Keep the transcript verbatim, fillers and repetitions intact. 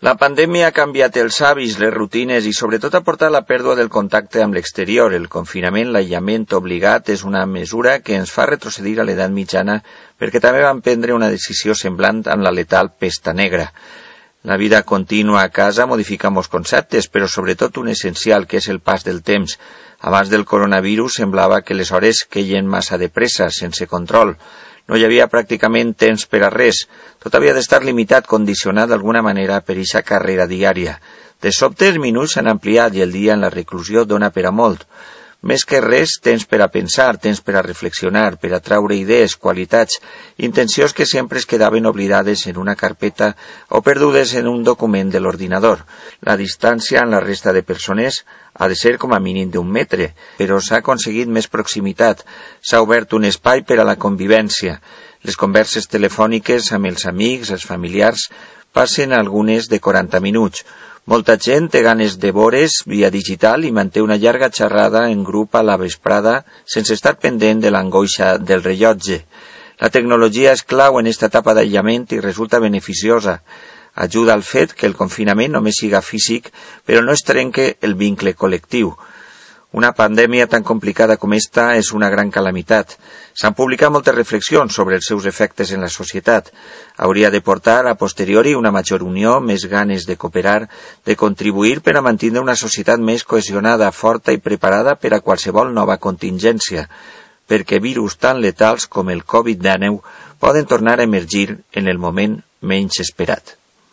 La pandèmia ha canviat els hàbits, les rutines i sobretot ha portat la pèrdua del contacte amb l'exterior. El confinament, l'aïllament obligat, és una mesura que ens fa retrocedir a l'edat mitjana perquè també van prendre una decisió semblant amb la letal pesta negra. La vida contínua a casa modifica molts conceptes, però sobretot un essencial, que és el pas del temps. Abans del coronavirus semblava que les hores queien massa de pressa, sense control. No hi havia pràcticament temps per a res. Tot havia d'estar limitat, condicionat d'alguna manera per eixa carrera diària. De sobte els minuts s'han ampliat i el dia en la reclusió dona per a molt. Més que res, temps per a pensar, temps per a reflexionar, per a traure idees, qualitats, intencions que sempre es quedaven oblidades en una carpeta o perdudes en un document de l'ordinador. La distància en la resta de persones ha de ser com a mínim d'un metre, però s'ha aconseguit més proximitat, s'ha obert un espai per a la convivència. Les converses telefòniques amb els amics, els familiars, passen algunes de quaranta minuts. Molta gent té ganes de veure's via digital i manté una llarga xerrada en grup a la vesprada sense estar pendent de l'angoixa del rellotge. La tecnologia és clau en esta etapa d'aïllament i resulta beneficiosa. Ajuda al fet que el confinament només siga físic, però no es trenque el vincle col·lectiu. Una pandèmia tan complicada com esta és una gran calamitat. S'han publicat moltes reflexions sobre els seus efectes en la societat. Hauria de portar a posteriori una major unió, més ganes de cooperar, de contribuir per a mantenir una societat més cohesionada, forta i preparada per a qualsevol nova contingència, perquè virus tan letals com el covid dinou poden tornar a emergir en el moment menys esperat.